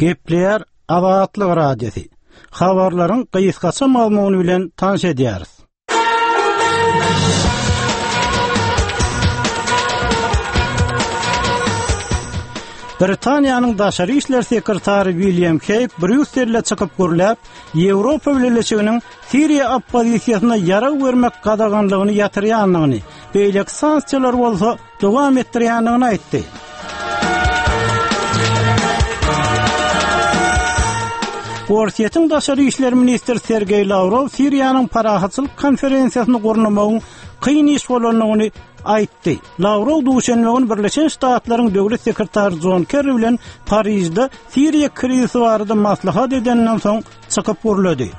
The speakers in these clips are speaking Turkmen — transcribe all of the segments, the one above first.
Gepleýär Azatlyk Radiosy. Habarlaryň gysgaça mazmuny bilen tanyş edýäris. Britaniýanyň daşary işler sekretary William Heýg Brýusselde çykyp gürläp, Ýewropa Bileleşiginiň Siriýa oppozisiýasyna ýarag bermek gadaganlygyny ýatyrýandygyny, beýleki sanksiýalary bolsa dowam etdirýändigini aýtdy. Orsýetiň daşary işler ministri Sergeý Lawrow Siriýanyň parahatçylyk konferensiýasyny gurnamagyň kyn iş bolandygyny aýtdy. Lawrow duşenbe güni Birleşen Ştatlaryň döwlet sekretary Jon Kerri bilen Parižde Siriýa krizisi barada maslahat edeninden soň çykyp gürledi.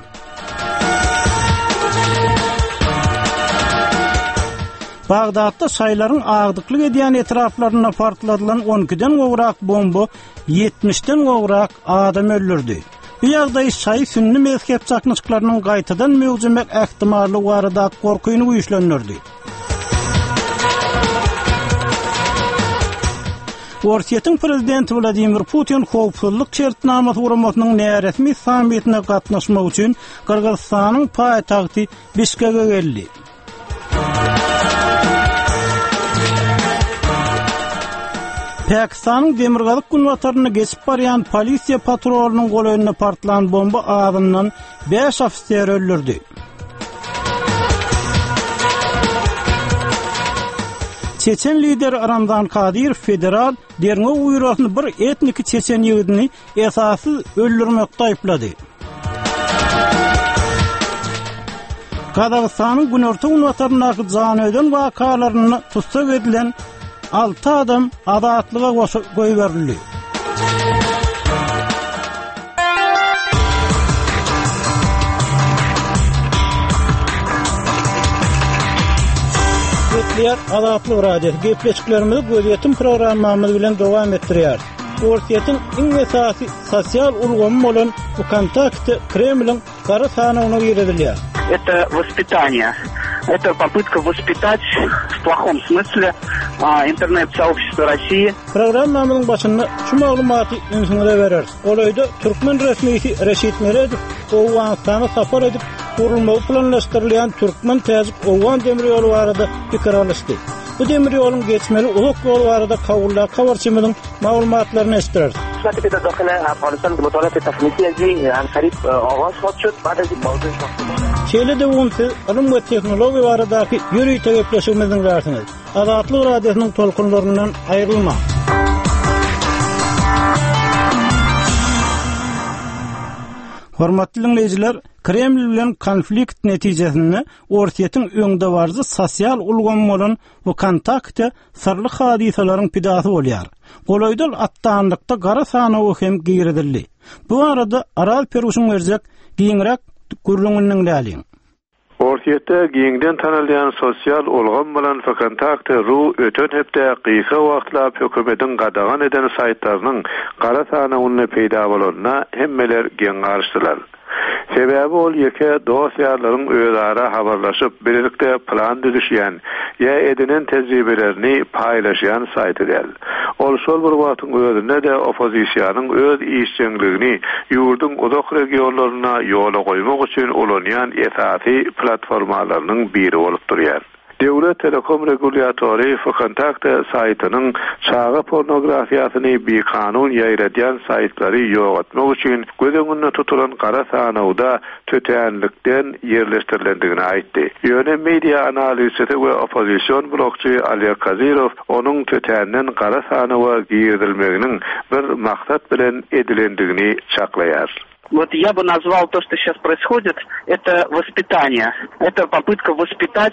Bagdatda şaýlaryň agdyklyk edýän etraplarynda partladylan 12-den gowrak bomba 70-den gowrak adam öldürdi. Bu ýagdaý şaýy sünni mezhep çaknyşyklarynyň gaýtadan möwjemek ähtimallygy baradaky gorkyny güýçlendirdi. Orsýetiň prezidenti Wladimir Putin Howpsuzlyk şertnamasy guramasynyň näresmi sammitine gatnaşmak üçin Gyrgyzystanyň paýtagty Bişkege geldi. Pakistanyň demirgazyk-günbatarynda geçip barýan polisiýa patrulynyň golaýynda partlan bomba azyndan bäş ofiseri öldürdi. Çeçen lideri Ramzan Kadyrow federal derňew býurosyny bir etniki çeçen ýigidini esassyz öldürmekde aýyplady. Gazagystanyň günorta-günbataryndaky janyöden wakalarynda tussag edilen 6 adam azatlyga goýberildi. Gepleýär Azatlyk Radiosy. Gepleşiklerimizi gözýetim programmamyz bilen dowam etdirýäris. Orsýetiň iň esasy sosial ulgamy bolan Wkontakte Kremliň gara sanawyna girizilýär. Это воспитание. Это попытка воспитать в плохом смысле интернет-сообщество России. Programmamyzyň başynda şu maglumaty ünsüňize bereris. Golaýda türkmen resmisi Reşit Meredow Owganystana sapar edip, gurulmagy planlaşdyrylýan türkmen-täjik-owgan demir ýoly barada pikir alyşdy. Bu demir ýoluň geçmeli uzak ýol barada Kabuldaky habarçymyzyň maglumatlaryny eşitdireris. Şeýle-de bu gün siz ylym we tehnologiýa baradaky ýörite gepleşigimizi diňlärsiňiz. Azatlyk Radiosynyň tolkunlaryndan aýrylmaň! Hormatly diňleýjiler, Kreml bilen konflikt netijesinde Orsýetiň öňdebaryjy sosial ulgamy bolan Wkontakte syrly hadysalaryň pidasy bolýar. Golaýda atdanlykda gara sanawa hem girizildi. Bu barada Araz Peruşyň berjek giňräk gürrüňini diňläliň. Orsýetde giňden tanalýan sosial ulgam bolan Vkontakte ru öten hepde gysga wagtlap hökümetiň gadagan eden saýtlarynyň gara sanawynda peýda bolanyna hemmeler geň galyşdylar. Sebäbi ol ýeke dost-ýarlaryň özara habarlaşyp, bilelikde plan düzüşýän ýa edinen tejribelerini paýlaşýan saýty däl. Ol şol bir wagtyň özünde-de oppozisiýanyň öz işjeňligini ýurduň uzak regionlarynda ýola goýmak üçin ulanýan esasy platformalarynyň biri bolup durýar. Döwlet telekom regulýatory Vkontakte saýtynyň çaga pornografiýasyny bikanun ýaýradýan saýtlary ýok etmek üçin göz öňünde tutulan gara sanawda tötänlikden ýerleşdirilendigini aýtdy. Ýöne media analizçisi we oppozision blogçy Oleg Kozyrow onuň tötänden gara sanawa girizilmeginiň bir maksat bilen edilendigini çaklaýar. Вот я бы назвал то, что сейчас происходит, это воспитание. Это попытка воспитать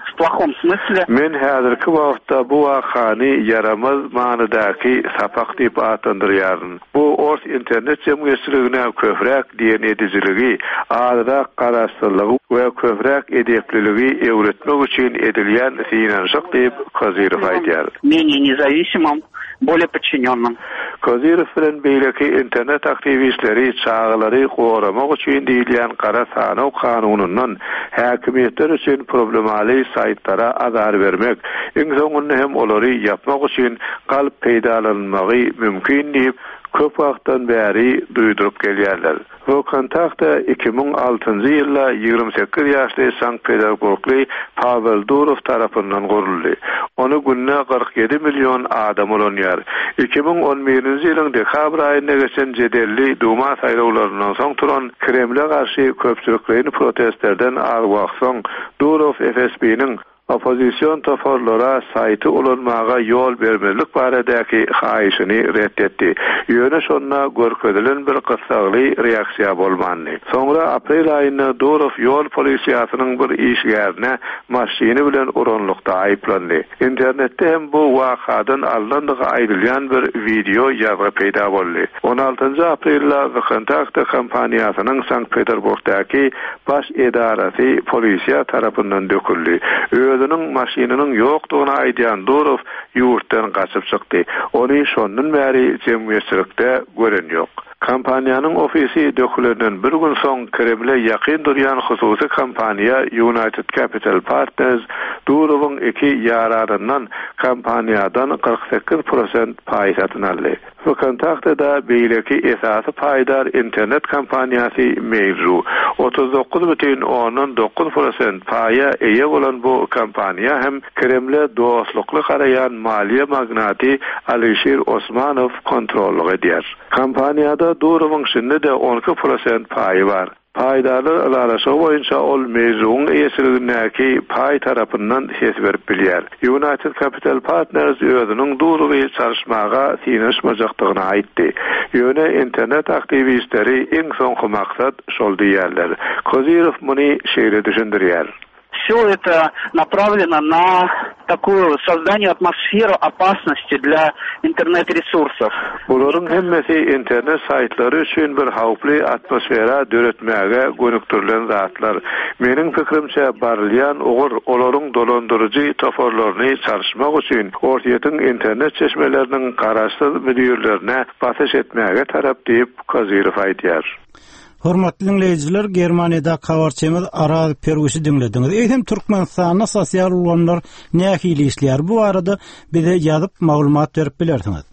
в плохом смысле. Men häzirki wagtda bu wakany ýaramaz manydaky sapak diýip atlandyrýaryn. Bu ors internet jemgyýetçiligine köpräk diýen edijiligi, azrak garaşsyzlygy we köpräk edepliligi öwretmek üçin edilýän synanyşyk diýip, Kozyrow aýdýar. Menее nezawisimym, bolее podçinennym. Kozyrow bilen beýleki internet aktiwistleri çagalary goramak üçin diýilýän gara sanaw kanunyndan häkimiýetler üçin problemaly saýtlara azar bermek, iň soňunda hem olary ýapmak üçin galp peýdalanylmagy mümkin diýip, köp wagtdan bäri duýduryp gelýärler. VKontakte 2006-njy ýylda 28 ýaşly Sankt-Peterburgly Pawel Durow tarapyndan guruldy. Ony günde 47 million adam ulanýar. 2011-nji ýylyň dekabr aýynda geçen jedelli Duma saýlawlaryndan soň turan Kremle garşy köpçülikleýin protestlerden az wagt soň Durow FSB-niň Oppozision toparlara saýty ulanmaga ýol bermezlik baradaky haýyşyny ret etdi. Ýöne şonda görkezilen bir gyssagly reaksiýa bolmandy. Soňra aprel aýynda Durow ýol polisiýasynyň bir işgärine maşyny bilen uranlykda aýyplandy. Internetde hem bu wakadan alnandygy aýdylýan bir wideo ýazgy peýda boldy. On altynjy aprelde VKontakte kompaniýasynyň Sankt-Peterburgdaky baş edarasy polisiýa tarapyndan döküldi. Özüniň maşynynyň ýokdugyny aýdýan Durow ýurtdan gaçyp çykdy. Ony şondan bäri jemgyýetçilikde gören ýok. Kompaniýanyň ofisi dökülenden bir gün soň Kremle ýakyn durýan hususy kompaniýa United Capital Partners Durowyň iki ýaranyndan kompaniýadan 48 prosent paý satyn aldy. VKontakte-da beýleki esasy paýdar internet kompaniýasy Mail.ru. 39,9 prosent paýa eýe bolan bu kompaniýa hem Kremle dostlukly garaýan maliýe magnaty Alişir Osmanow kontrollyk edýär. Kompaniýada Durowyň şindi-de 12 prosent paýy bar. Paýdarlar ylalaşygy boýunça ol Mail.ru-nyň eýeçiligindäki paý tarapyndan ses berip bilýär. United Capital Partners özüniň Durowy çalyşmaga synanyşmajakdygyny aýtdy. Ýöne internet aktiwistleri iň soňky maksat şol diýýärler. Kozyrew muny şeýle düşündirýär. Все это направлено на такую создание атмосферу опасности для интернет-ресурсов. Bularyň hemmesi internet saýtlary üçin bir howply atmosfera döretmäge gönükdirilen zatlar. Meniň pikirimçe, barylýan ugur olaryň dolandyryjy toparlaryny çalyşmak üçin Orsýetiň internet çeşmeleriniň garaşsyz müdirlerine basyş etmäge tarap diýip, Kozyrew aýdýar. Hormatly diňleýjiler, Germaniýadaky habarçymyz Araz Perwişi diňlediňiz. Eýsem Türkmenistanda sosial ulgamlar nähili işleýär? Bu barada bize ýazyp maglumat berip bilersiňiz.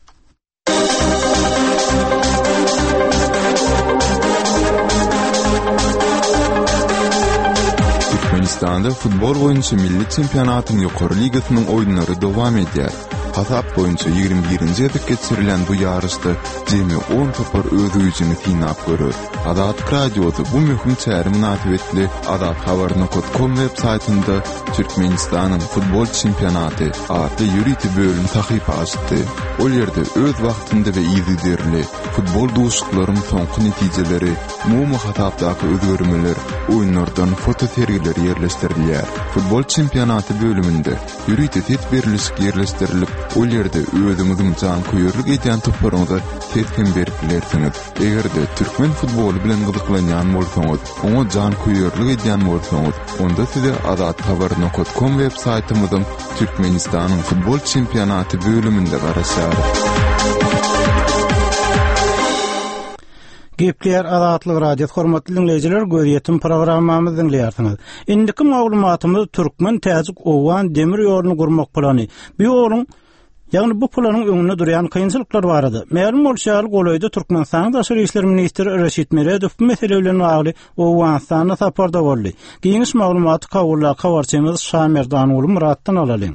Türkmenistanda futbol boýunça milli çempionatyň ýokary ligasynyň oýunlary dowam edýär. Hasap boýunça 21-nji gezek geçirilýän bu ýaryşda jemi on topar öz güýjüni synap görer. Azatlyk Radiosy bu möhüm çäre mynasybetli azathabar nokat kom web saýtynda Türkmenistanyň futbol çempionaty atly ýörite bölüm sahypa açdy. Ol ýerde öz wagtynda we yzygiderli futbol duşuşyklaryň soňky netijeleri, umumy hasapdaky özgermeler, oýunlardan fotosergiler ýerleşdirilýär. Futbol çempionaty bölüminde Ýörite ses berlişik ýerleşdirilip, ol ýerde özüňiziň janköýerlik edýän toparyňyza ses hem berip bilersiňiz. Eger-de türkmen futboly bilen gyzyklanýan bolsaňyz, oňa janköýerlik edýän bolsaňyz, onda size azathabar nokat kom web saýtymyzyň Türkmenistanyň futbol çempionaty bölüminde garaşýarys. Gepleýär Azatlyk Radiosy hormatly diňleýjiler gözýetim programmamyzy diňleýärsiňiz. Indiki maglumatymyz türkmen täjik owgan demir ýoluny gurmak plany. Bu ýoluň Ýagny bu planyň öňünde durýan kynçylyklar barada. Mälim bolşy ýaly, golaýda Türkmenistanyň daşary işler ministri Reşit Meredow bu mesele bilen bagly Owganystanda saparda boldy. Giňiş maglumaty Kabuldaky habarçymyz Şamerdanguly Myratdan alalyň.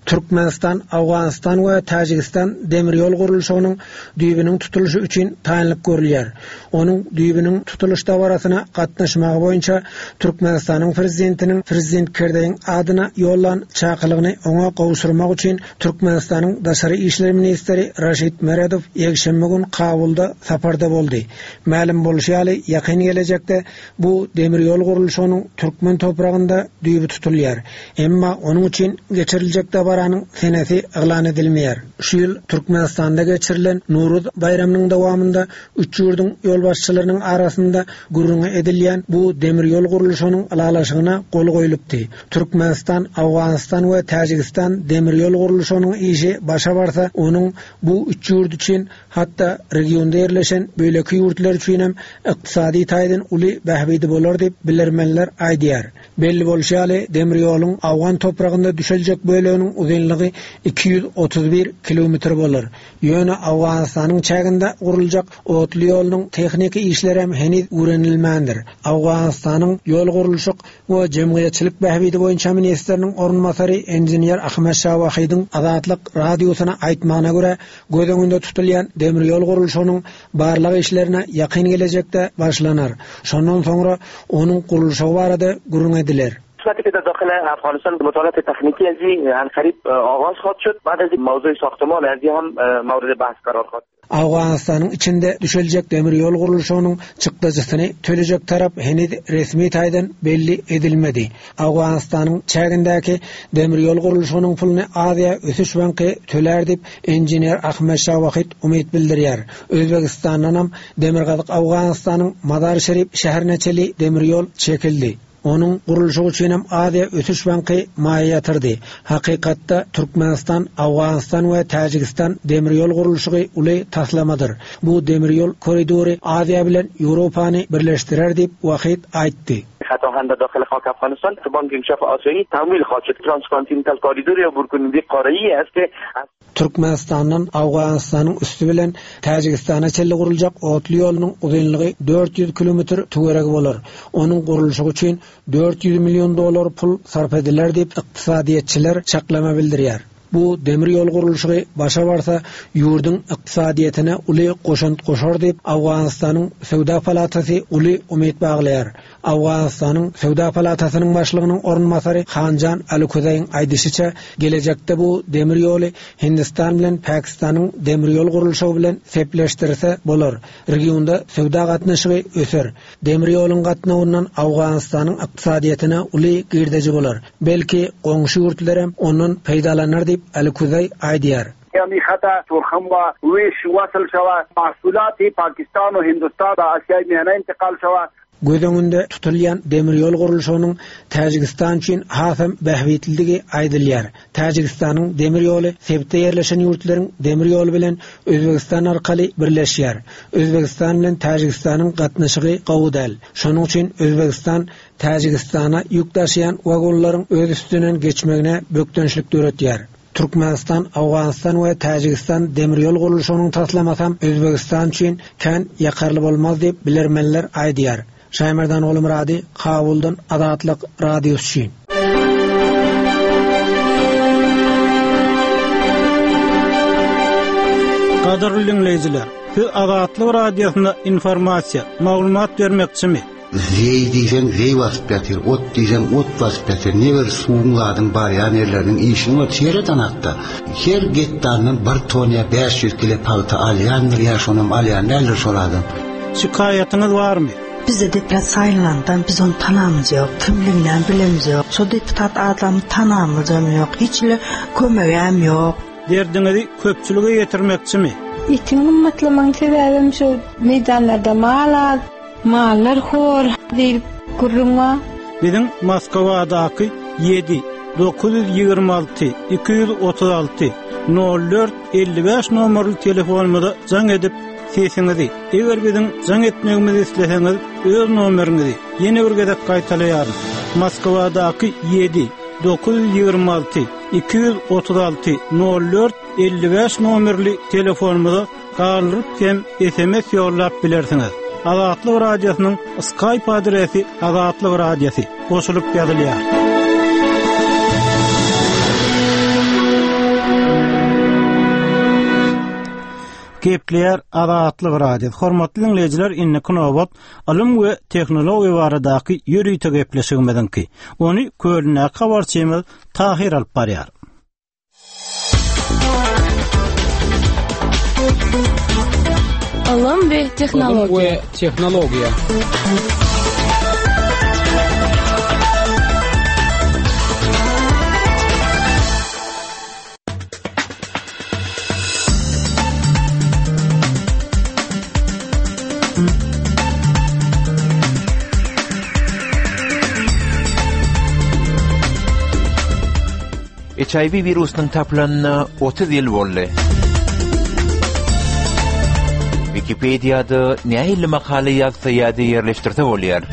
Türkmenistan, Owganystan we Täjigistan demir ýol gurluşygynyň düýbüniň tutulyşy üçin taýynlyk görülýär. Onuň düýbüniň tutulyş dabarasyna gatnaşmagy boýunça Türkmenistanyň Prezidentiniň Prezident Kerzeýiň adyna ýollan çakylygyny oňa gowşurmak üçin Türkmenistanyň daşary işler ministri Raşid Meredow ýekşenbe gün Kabulda saparda boldy. Mälim bolşy ýaly, ýakyn gelejekde Bu demir ýol gurluşygynyň türkmen topragynda düýbi tutulýar. Emma onuň üçin geçiriljek dabaranyň senesi yglan edilmeýär. Şu ýyl Türkmenistanda geçirilen Nowruz baýramynyň dowamynda üç ýurduň ýolbaşçylarynyň arasynda gürrüňi edilýän bu demir ýol gurluşygynyň ylalaşygyna gol goýlupdy. Türkmenistan, Owganystan we Täjigistan demir ýol gurluşygynyň işi başa barsa, onuň bu üç ýurt üçin hatda regionda ýerleşen beýleki ýurtlar üçinem ykdysady taýdan uly bähbidi bolar diýip, bilermenler aýdýar. Belli bolşy ýaly, demir ýoluň owgan topragynda düşeljek böleginiň uzynlygy 231 kilometr bolar. Ýöne Owganystanyň çäginde guruljak otly ýolunyň tehniki işlerem heniz öwrenilmändir. Owganystanyň ýol gurluşyk we jemgyýetçilik bähbidi boýunça ministriniň orunbasary inžener Ahmet Şah Wahidiň Azatlyk Radiosyna aýtmagyna görä, göz öňünde tutulýan demir ýol gurluşygynyň barlag işlerine ýakyn gelejekde başlanar. Şondan soňra onuň gurluşygy barada gürrüň ediler. قسمتی که در داخل افغانستان مطالعات تکنیکی از این قریب آغاز خواهد شد بعد از موضوع ساختمان از هم مورد بحث قرار خواهد Owganystanyň içinde düşeljek demir ýol gurluşygynyň çykdajysyny tölejek tarap heniz resmi taýdan belli edilmedi. Owganystanyň çägindäki demir ýol gurluşygynyň puluny Aziýa ösüş banky tölär diýip, inžener Ahmet Şah Wahid umyt bildirýär. Özbegistandanam Demirgazyk Owganystanyň Mazar-Şerif şäherine çenli demir ýol çekildi. Onuň gurluşygy üçinem Aziýa ösüş banky maýa ýatyrdy. Hakykatda, Türkmenistan, Owganystan we Täjigistan demir ýol gurluşygy uly taslamadyr. Bu demir ýol koridory Aziýa bilen Ýewropany birleşdirer diýip, Wahid aýtdy. خط آهن در داخل خاک افغانستان بانک انکشاف آسیایی تمویل خواهد شد ترانسکانتیننتال کاریدور یا عبورکننده قاره‌ای است که Türkmenistandan Owganystanyň üsti bilen Täjigistana çenli guruljak otly ýolunyň uzynlygy 400 kilometr töweregi bolar. Onuň gurluşygy üçin 400 million dollar pul sarp ediler diýip, ykdysadyýetçiler çaklama bildirýär. Bu demir ýol gurluşygy başa barsa, ýurduň ykdysadyýetine uly goşant goşar diýip, Owganystanyň Söwda palatasy uly umyt baglaýar. Owganystanyň Söwda palatasynyň başlygynyň orunbasary Hanjan Alukozaýyň aýdyşyça, gelejekde bu demir ýoly Hindistan bilen Pakistanyň demir ýol gurluşygy bilen sepleşdirse bolar, regionda söwda gatnaşygy öser. Demir ýoluň gatnawyndan Owganystanyň ykdysadyýetine uly girdeji bolar. Belki, goňşy ýurtlaram ondan peýdalanar diýip, Alukozaý aýdýar. همی خط تورخم و ویش وصل شود محصولات پاکستان و هندوستان به آسیای میانه انتقال شود Göz öňünde tutulýan demir ýol gurluşygynyň Täjigistan üçin hasam bähbitlidigi aýdylýar. Täjigistanyň demir ýoly sebitde ýerleşen ýurtlaryň demir ýoly bilen Özbegistan arkaly birleşýär. Özbegistan bilen Täjigistanyň gatnaşygy gowy däl. Şonuň üçin Özbegistan Täjigistana ýük daşaýan wagonlaryň öz üstünden geçmegine bökdençlik döretýär. Türkmenistan, Owganystan we Täjigistan demir ýol gurluşygynyň taslamasam Özbegistan üçin kän ýakarly bolmaz diýip, bilermenler aýdýar. Şaýmerdan Gulmyrady, Kabuldan Azatlyk Radiosy üçin. Gadyrly diňleýjiler, siz Azatlyk Radiosynda informasiýa, maglumat bermekçimi? Zeý diýseň zeý basyp ýatyr, ot diýseň ot basyp ýatyr. Ne bir suwuň zadyň barýan ýerleriniň işini bol seret anakda. Her gektaryndan bir ton ýa 500 kile pagta alýandyr ýa şonam alýan däldir şol adam. Şikaýatyňyz barmy? Bize deputat saýlanandan biz ony tanamyz ýok, kimliginem bilemiz ýok. Şo deputat adamy tanamyzam ýok, hiç hili kömegem ýok. Derdiňizi köpçülige ýetirmekçimi? Etiň gymmatlamagyň sebäbem şo meýdanlarda mal az. Mallar hor diýlip gürrüň bar. Biziň Moskwadaky 7 926 236 04 55 nomerli telefonymyza jaň edip, sesiňizi, eger biziň jaň etmegimizi isleseňiz, öz nomeriňizi ýene bir gezek gaýtalaýaryn. Moskwadaky 7 926 236 04 55 nomerli telefonymyza galdyryp hem sms ýollap bilersiňiz. Azatlyk Radiosynyň Skype adresi Azatlyk Radiosy goşulyp ýazylýar. Gepleýär Azatlyk Radiosy. Hormatly diňleýjiler, indiki nobat ylym we tehnologiýa baradaky ýörite gepleşigimiziňki. Ony Kölündäki habarçymyz Tahyr alyp barýar. Ylym we tehnologiýa. Ylym we tehnologiýa. HIV wirusynyň tapylanyna 30 ýyl boldy. Wikipediýada nähili makala ýazsa ýa-da ýerleşdirse bolýar?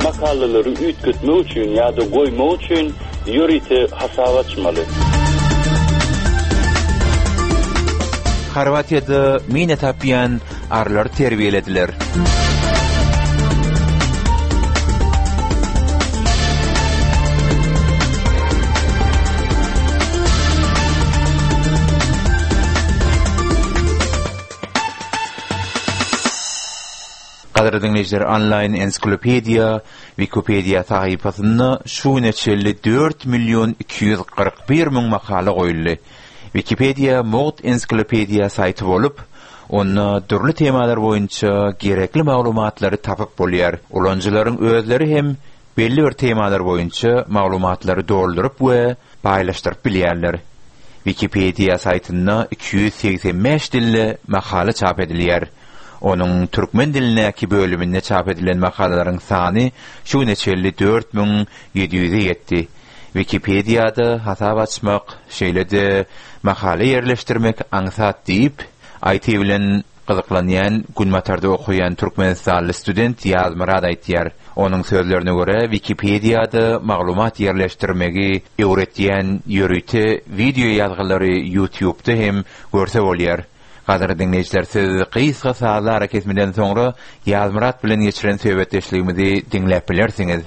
Makalalary üýtgetmek üçin ýa-da goýmak üçin. ýörite hasap açmaly. Horwatiýada mina tapýan arylary terbiýelediler. Gadyrly diňleýjiler, onlaýn ensiklopediýa Wikipediýa sahypasynda şu güne çenli 4 million 241 müň makala goýuldy. Wikipediýa mugt ensiklopediýa saýty bolup, onda dürli temalar boýunça gerekli maglumatlary tapyp bolýar. Ulanyjylaryň özleri hem belli bir temalar boýunça maglumatlary dolduryp we paýlaşdyryp bilýärler. Wikipediýa saýtynda 285 dilde makala çap edilýär. Onuň türkmen dilindäki bölüminde çap edilen makalalaryň sany şu güne çenli 4700-e ýetdi. Wikipediýada hasap açmak, şeýle-de makala ýerleşdirmek aňsat diýip, IT bilen gyzyklanýan Günbatarda okaýan türkmenistanly student Ýazmyrat aýtýar. Onuň sözlerine görä, Wikipediýada maglumat ýerleşdirmegi öwretýän ýörite wideo ýazgylary YouTube-da hem görse bolýar. Gadyrly diňleýjiler, siz gysga sazly arakesmeden soňra Ýazmyrat bilen geçiren söhbetdeşligimizi diňläp bilersiňiz.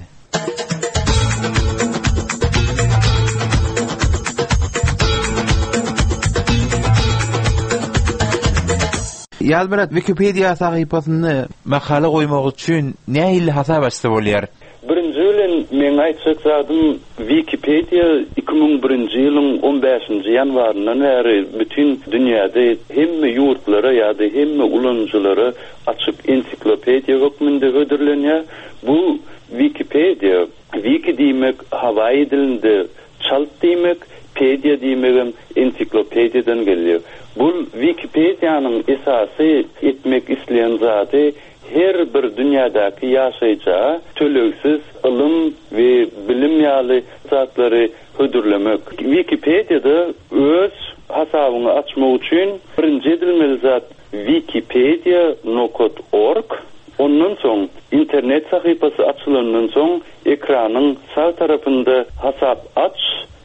Ýazmyrat, Wikipediýa sahypasynda makala goýmak üçin nähili hasap açsa bolýar? Birinji bilen meň aýtjak zadym Wikipediýa 2001-nji ýylyň on bäşinji ýanwaryndan bäri bütin dünýäde hemme ýurtlara ýa-da hemme ulanyjylara açyk ensiklopediýa hökmünde hödürlenýär. Bu Wikipediýa, wiki diýmek hawaýi dilinde çalt diýmek, pediýa diýmegem ensiklopediýadan gelýär. Bul Wikipediýanyň esasy etmek isleýän zady her bir dünýädäki ýaşaýja tölegsiz ylym we bilim ýaly zatlary hödürlemek. Wikipediýada öz hasabyňy açmak üçin birinji edilmeli zat Wikipedia nokat org, ondan soň internet sahypasy açylandan soň ekranyň sag tarapynda Hasap aç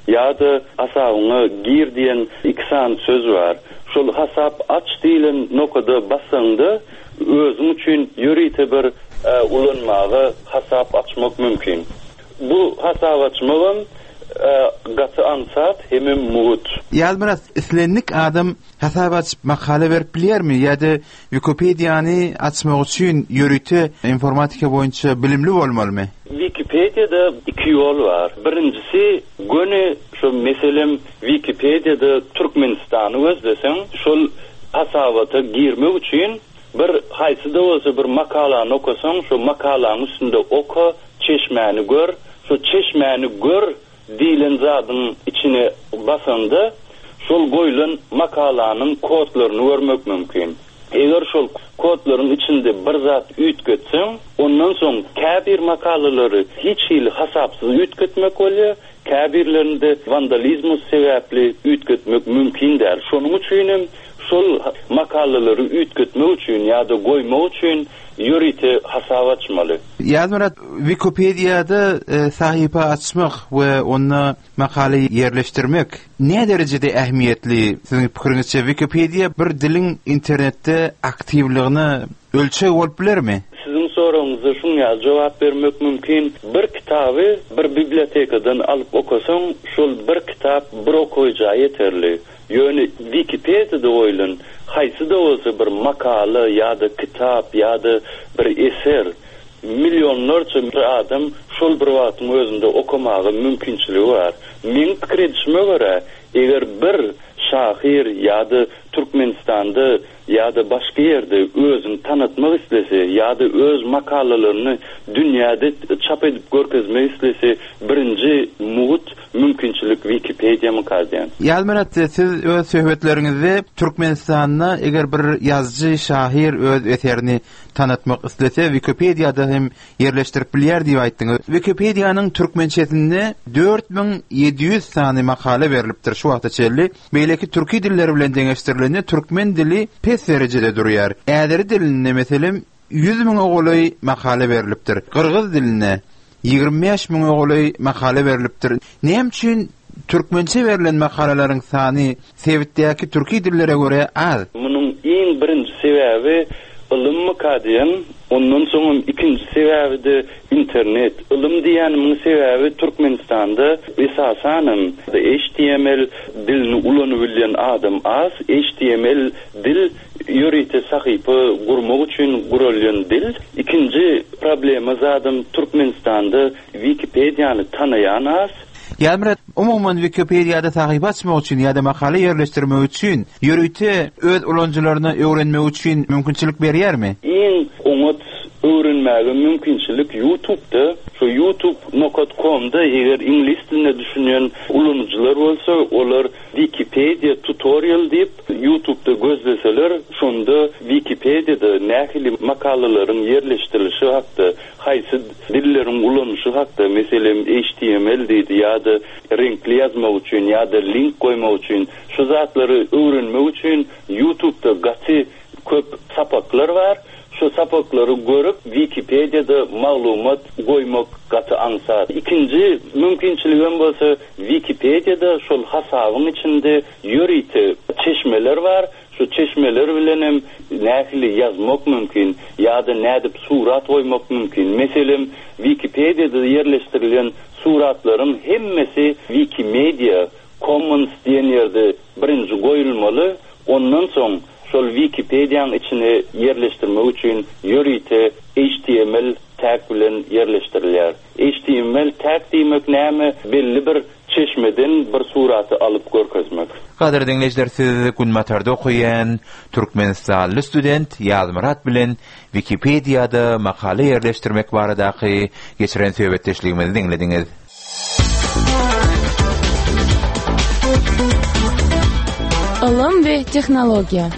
ýa-da Hasabyňa gir diýen iki sany söz bar. Şol Hasap aç diýlen nokada basaňda özüň üçin ýörite bir ulanmaga hasap açmak mümkin. Bu hasap açmagam gaty aňsat hemem mugt. Ýazmyrat, islendik adam Hasap açyp makala berip bilýärmi ýa-da Wikipediýany açmak üçin ýörite informatika boýunça bilimli bolmalymy? Wikipediýada iki ýol bar. Birinjisi göni şo meselem Wikipediýada Türkmenistany gözleseň şol hasabata girmek üçin bir haýsy-da bolsa bir makalany okasaň şo makalaň üstünde oka çeşmäni gör şo çeşmäni gör Diýlen zadyň içine basaňda, şol goýlan makalanyň kodlaryny görmek mümkin. Eger şol kodlaryň içinde bir zat üýtgetseň, ondan soň käbir makalalary hiç hili hasapsyz üýtgetmek bolýar, käbirlerinde wandalizmus sebäpli üýtgetmek mümkin däl. Şonuň üçinem şol makalalary üýtgetmek üçin ýa-da goýmak üçin ýörite hasap açmaly. Ýazmyrat, Wikipediýada sahypa açmak we onda makala ýerleşdirmek näderejede ähmiýetli? Siziň pikiriňizçe Wikipediýa bir diliň internetde aktiwligine ölçeg bolup bilermi? Siziň soragyňyza şuň ýaly jogap bermek mümkin, bir kitaby bir bibliotekadan alyp okasaň, şol bir kitap bir okaýja ýeterli. Ýöne Wikipediýada goýlan haýsy-da bolsa bir makala ýa-da kitap ýa-da bir eser millionlarça adam şol bir wagtyň özünde okamaga mümkinçiligi bar. Meň pikir edişime görä, eger bir şahyr ýa-da Türkmenistanda ýa-da başga ýerde özüni tanatmak islese ýa-da öz makalalaryny dünýäde çap edip görkezmek islese birinji mugt mümkinçilik Wikipediýamyka diýen. Ýazmyrat siz öz söhbetleriňizde Türkmenistanda eger bir ýazyjy, şahyr öz eserini tanatmak islese Wikipediýada hem ýerleşdirip bilýär diýip aýtdyňyz. Wikipediýanyň türkmençesinde 4700 sany makala berlipdir şu wagta çenli. Beýleki türki diller bilen deňeşdirilende türkmen dili pes derejede durýar. Äzeri dilinde meselem 100 müňe golaý makala berlipdir. Gyrgyz dilinde. 25 müňe golaý makala berlipdir. Näme üçin türkmençe berlen makalalaryň sany sebitdäki türki dillere görä az? Munuň iň birinji sebäbi ylymmyka diýen, ondan soňam ikinji sebäbi-de internet. Ylym diýýänimiň sebäbi Türkmenistanda esasanam HTML dilini ulanybilýän adam az. HTML dil ýörite sahypa gurmak üçin guralýan dil. Ikinji problema zadam Türkmenistanda Wikipediýany tanaýan az. Ýazmyrat, umuman Wikipediýada sahypa açmak üçin ýa-da makala ýerleşdirmek üçin ýörite öz ulanyjylaryna öwrenmek üçin mümkinçilik berýärmi? Iň oňat öwrenmäge mümkinçilik Ýutubda. Şo Ýutub nokat komda eger iňlis diline düşünýän ulanyjylar bolsa, olar Wikipediýa tutorial diýip Ýutubda gözleseler, şonda Wikipediýada nähili makalalaryň ýerleşdirilişi hakda, haýsy dilleriň ulanyşy hakda, meselem, HTML diýdi ýa-da reňkli ýazmak üçin ýa-da link goýmak üçin, şu zatlary öwrenmek üçin Ýutubda gaty köp sapaklar bar. Şu sapaklary görüp Wikipediýada maglumat goýmak gaty aňsat. Ikinji mümkinçiligem bolsa Wikipediýada şol hasabyň içinde ýörite çeşmeler bar. Şu çeşmeler bilenem nähili ýazmak mümkin ýa-da nädip surat goýmak mümkin. Meselem, Wikipediýada ýerleşdirilen suratlaryň hemmesi Wikimedia Commons diýen ýerde birinji goýulmaly, ondan soň şol Wikipediýaň içine ýerleşdirmek üçin ýörite HTML tag bilen ýerleşdirilýär. HTML tag diýmek näme? Belli bir çeşmeden bir suraty alyp görkezmek. Gadyrly diňleýjiler siz Günbatarda okaýan türkmenistanly student Ýazmyrat bilen Wikipediýada makala ýerleşdirmek baradaky geçiren söhbetdeşligimizi diňlediňiz. Ylym we tehnologiýa.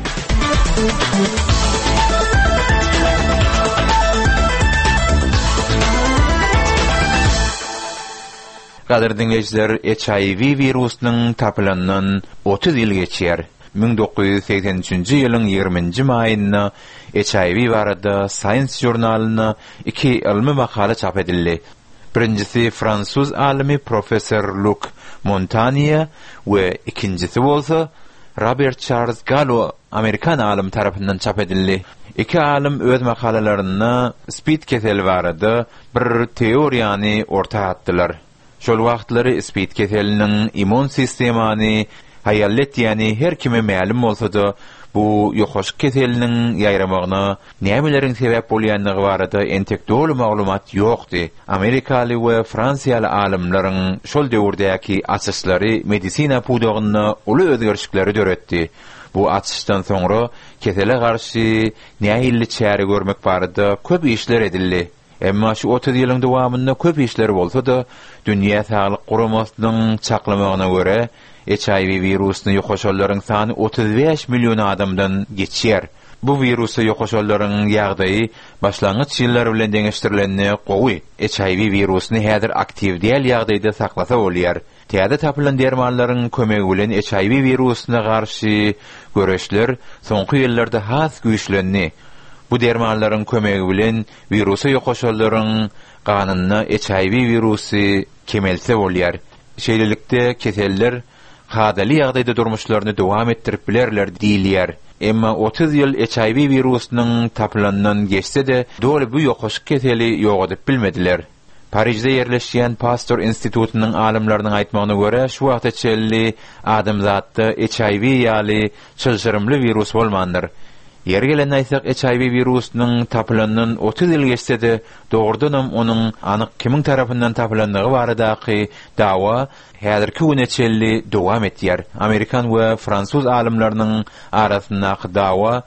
Gadyrly diňleýjiler, HIV wirusynyň tapylandan 30 ýyl geçýär. 1983-nji ýylyň 20-nji maýynda HIV barada Science žurnalynda iki ylmy makala çap edildi. Birinjisi fransuz alymy professor Luk Montaniýe we ikinjisi bolsa Robert Çarlz Gallo amerikan alymy tarapyndan çap edildi. Iki alym öz makalalarynda spid keseli barada bir teoriýany orta atdylar. Şol wagtlary spid keseliniň immun sistemany haýalletýäni her kime mälim bolsa-da, bu ýokaşyk keseliniň ýaýramagyna nämeleriň sebäp bolýandygy barada entek doly maglumat ýokdy. Amerikaly we fransiýaly alymlaryň şol döwürdäki açyşlary medisina pudagynda uly özgerişikleri döretdi. Bu açyşdan soňra kesele garşy nähilli çäre görmek barada köp işler edildi. Emma şu 30 ýylyň dowamynda köp işler bolsa-da, Dünýä Saglyk Guramasynyň çaklamagyna görä, HIV wirusyna ýokaşanlaryň sany 35 million adamdan geçýär. Bu wirusa ýokaşanlaryň ýagdaýy başlangyç ýyllar bilen deňeşdirilende gowy. HIV wirusyny häzir aktiw däl ýagdaýda saklasa bolýar. Täze tapylan dermanlaryň kömegi bilen HIV wirusyna garşy göreşler soňky ýyllarda has güýçlendi. Bu dermanlaryň kömegi bilen wirusa ýokaşanlaryň ganynda HIV wirusy kemelse bolýar. Şeýlelikde, keseller kadaly ýagdaýda durmuşlaryny dowam etdirip bilerler diýilýär. Emma 30 ýyl HIV wirusynyň tapylandan geçse-de, doly bu ýokaşyk keseli ýogadyp bilmediler. Parižde ýerleşýän Pasteur institutynyň alymlarynyň aýtmagyna görä, şu wagta çenli adamzatda HIV ýaly çylşyrymly wirus bolmandyr. Ýeri gelende aýtsak, HIV wirusynyň tapylandan 30 ýyl geçse-de, dogrudanam onuň anyk kimiň tarapyndan tapylandygy baradaky dawa häzirki güne çenli dowam etýär. Amerikan we fransuz alymlarynyň arasyndaky dawa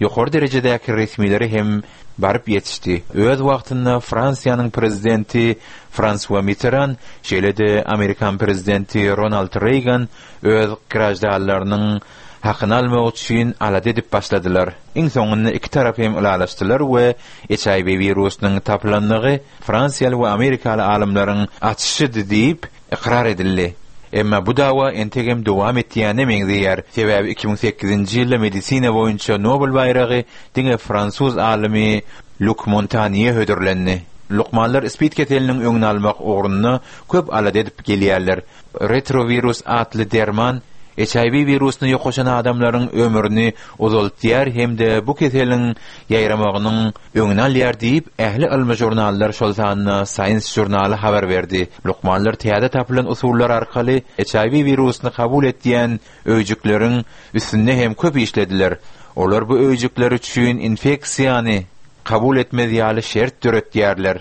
ýokary derejedäki resmilere hem baryp ýetişdi. Öz wagtynda Fransiýanyň prezidenti Fransua Mitteran, şeýle-de amerikan prezidenti Ronald Reýgan öz graždanlarynyň hakyny almak üçin alada edip başladylar. Iň soňunda iki tarap hem ylalaşdylar we HIV wirusynyň tapylandygy fransiýaly we amerikaly alymlaryň açyşydy diýip ykrar edildi. Emma bu dawa entegem dowam etýäne meňzeýär, sebäbi 2008-nji ýylda medisina boýunça Nobel baýragy diňe fransuz alymy Luk Montaniýe hödürlendi. Lukmanlar spid keseliniň öňüni almak ugrunda köp alada edip gelýärler. Retrowirus atly derman HIV wirusyna ýokaşan adamlaryň ömrüni uzaltýar hem-de bu keseliň ýaýramagynyň öňüni alýar diýip, ähli ylmy žurnallar, şol sanda Science žurnaly habar berdi. Lukmanlar täze tapylan usullar arkaly HIV wirusyny kabul etýän öýjükleriň üstünde hem köp işlediler. Olar bu öýjükler üçin infeksiýany kabul etmez ýaly şert döretýärler.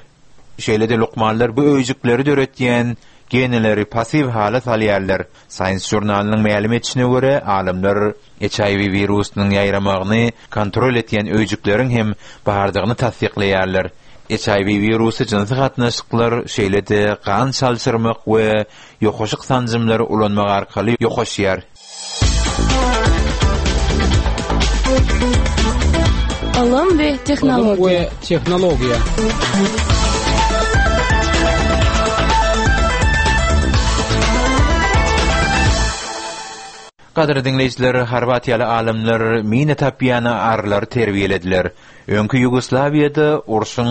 Şeýle-de lukmanlar bu öýjükleri döretýän geneleri passiw hala salýarlar. Science žurnalynyň mälim etişine görä, alymlar HIV wirusynyň ýaýramagyny kontrol etýän öýjükleriň hem bardygyny tassyklaýarlar. HIV wirusy jynsy gatnaşyklar, şeýle-de gan çalşyrmak we ýokaşyk sanjymlary ulanmak arkaly ýokaşýar. Ylym we tehnologiýa. Ylym we tehnologiýa. Gadyrly diňleýjiler, horwatiýaly alymlar mina tapýan arylary terbiýelediler. Öňki Ýugoslawiýada urşuň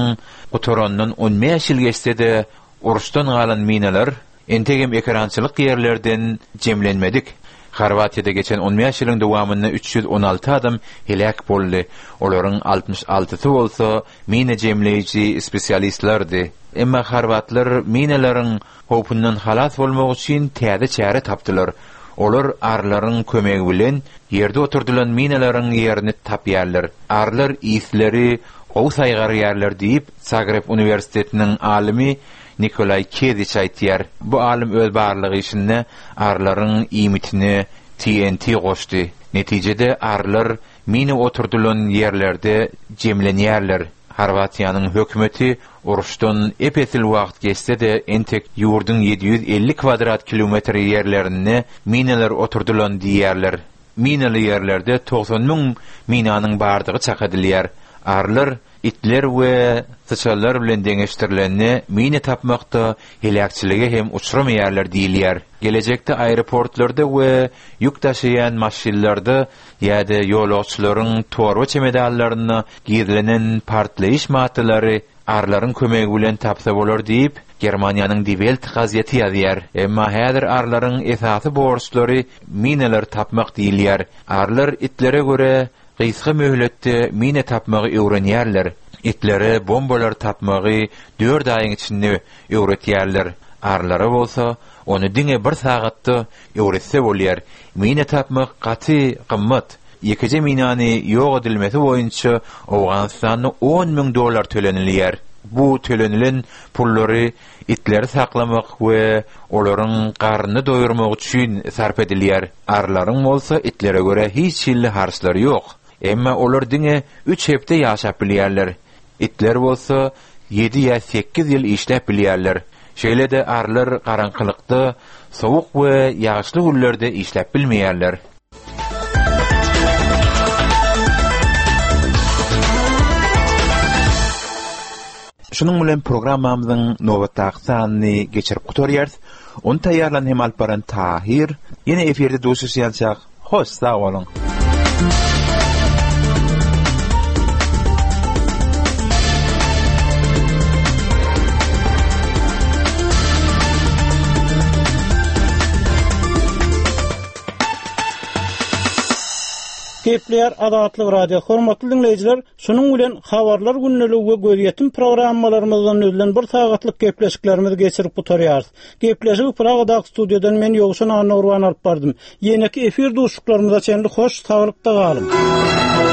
gutarandan on bäş ýyl geçse-de, uruşdan galan minalar Entegem ekerançylyk ýerlerden jemlenmedik. Horwatiýada geçen on bäş ýylyň dowamynda 316 adam heläk boldy, olaryň altmyş altysy bolsa mina jemleýji spesialistlerdi. Emma horwatlar minalaryň howpundan halas bolmak üçin täze çäre tapdylar. Olar arylaryň kömegi bilen ýerde oturdylan minalaryň ýerini tapýarlar. Arylar ysleri gowy saýgarýarlar diýip, Zagreb uniwersitetiniň alymy Nikolaý Keziç aýtýar. Bu alym öz barlag işinde arylaryň iýmitine TNT goşdy. Netijede arylar mina oturdylan ýerlerde jemlenýärler. Horwatiýanyň hökümeti uruşdan ep-esli wagt geçse-de entek ýurduň 750 kwadrat kilometr ýerlerinde minalar oturdylan diýýärler. Minaly ýerlerde 90 müň minanyň bardygy çak edilýär. Arylar Itler we syçanlar bilen deňeşdirilende mina tapmakda heläkçilige hem uçramaýarlar diýilýär. Gelejekde aeroportlarda we ýük daşaýan maşynlarda ýa-da ýolagçylaryň torba çemedanlarynda gizlenen partlaýyş maddalary arylaryň kömegi bilen tapsa bolar diýip, Germaniýanyň Die Welt gazeti ýazýar. Emma häzir arylaryň esasy borçlary minalary tapmak diýilýär. Arylar itlere görä Gysga möhletde mina tapmagy öwrenýärler. Itlere bombalary tapmagy dört aýyň içinde öwretýärler. Arylara bolsa, ony diňe bir sagatda öwretse bolýar. Mina tapmak gaty gymmat. Ýekeje minany ýok edilmesi boýunça Owganystanda on müň dollar tölenilýär. Bu tölenilen pullary itleri saklamak we olaryň garnyny doýurmak üçin sarp edilýär. Arylaryň bolsa itlere görä hiç hili harçlary ýok. Emma olar diňe üç hepde ýaşap bilýärler. Itler bolsa ýedi ýa sekiz ýyl işläp bilýärler. Şeýle-de arylar garaňkylykda, sowuk we ýagyşly günlerde işläp bilmeýärler. Şunuň bilen programmamyzyň nobatdaky sanyny geçirip gutarýarys. Ony taýýarlan hem alyp baran Tahyr. Ýene efirde duşuşýançak, hoş sag boluň! Gepleýär Azatlyk Radio. Hormatly diňleýjiler, şunuň bilen Habarlar gündeligi we Gözýetim programmalarymyzdan düzülen bir sagatlyk gepleşiklerimizi geçirip gutarýarys. Gepleşigi Pragadaky studiýadan men Ýowşan Annagurban alyp bardym. Ýeneki efir duşuşyklarymyza çenli hoş saglykda galyň!